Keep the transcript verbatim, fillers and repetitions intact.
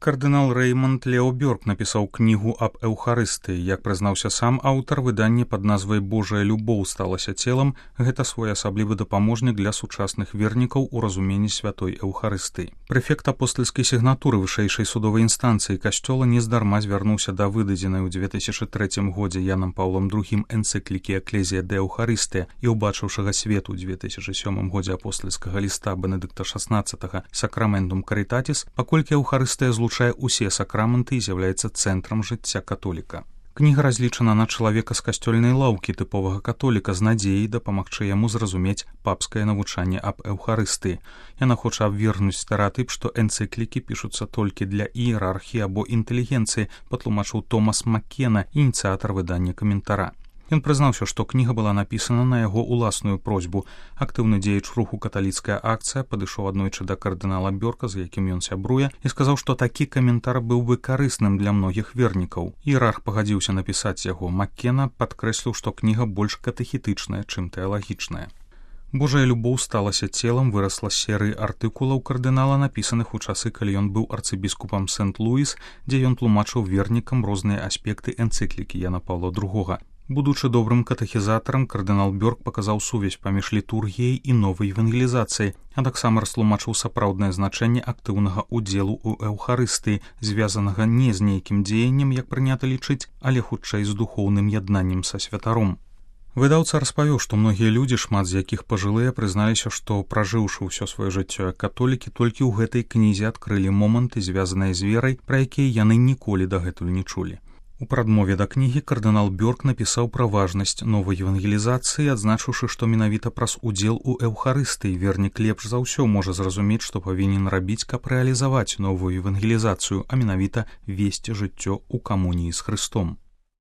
Кардынал Рэймонд Лео Бёрк напісаў кнігу аб эўхарыстыі. Як прызнаўся сам аўтар, выданне пад назвай «Божая любоў сталася целам» гэта своеасаблівы дапаможнік для сучасных вернікаў у разуменні святой эўхарыстыі. Прэфект апостальскай сігнатуры вышэйшай судовай інстанцыі касцёла нездарма звярнуўся да выдадзенай у дзве тысячы трэцім годзе Янам Паўлам другім энцыклікі «Экклезія дэ Эўхарыстыя» і ўбачыўшага свету ў дзве тысячы сёмым годзе апостальскага ліста Бенедыкта шаснаццатага «Сакраментум Карытатіс», паколькі эўхарыстыя злучае усе сакрамэнты і з'яўляецца цэнтрам жыцця католіка. Кніга разлічана на чалавека з касцёльнай лаўкі тыповага католіка з надзеяй дапамагчы яму зразумець папскае навучанне аб эўхарыстыі. Яна хоча абвергнуць стэрэатып, што энцыклікі пішуцца толькі для іерархіі або інтэлігенцыі, патлумачыў Томас Маккена, ініцыятар выдання каментара. Ён прызнаўся, што кніга была напісана на яго ўласную просьбу. Актыўны дзеяч руху «Каталіцкая акцыя» падышоў аднойчы да кардынала Бёрка, з якім ён сябруе, і сказаў, што такі каментар быў бы карысным для многіх вернікаў. Іерарх пагадзіўся напісаць яго. Маккена падкрэсліў, што кніга больш катэхетычная, чым тэалагічная. «Божая любоў сталася целам» вырасла з серыі артыкулаў кардынала, напісаных у часы, калі ён быў арцыбіскупам Сент-Луіс, дзе ён тлумачыў вернікам розныя аспекты энцыклікі Яна Паўла другога. Будучы добрым катэхізатарам, кардынал Бёрк паказаў сувязь паміж літургіяй і новай евангелізацыяй, а таксама растлумачыў сапраўднае значэнне актыўнага ўдзелу ў эўхарыстыі, звязанага не з нейкім дзеяннем, як прынята лічыць, але хутчэй з духоўным яднаннем са святаром. Выдаўца распавёў, што многія людзі, шмат з якіх пажылыя, прызналіся, што, пражыўшы ўсё сваё жыццё як католікі, толькі ў гэтай кнізе адкрылі моманты, звязаныя з верай, пра якія яны ніколі дагэтуль не чулі. У прадмове да кнігі кардынал Бёрк напісаў пра важнасць новай евангелізацыі, адзначыўшы, што менавіта праз удзел у эўхарыстыі вернік лепш за ўсё можа зразумець, што павінен рабіць, каб рэалізаваць новую евангелізацыю, а менавіта весці жыццё ў камуніі з Хрыстом.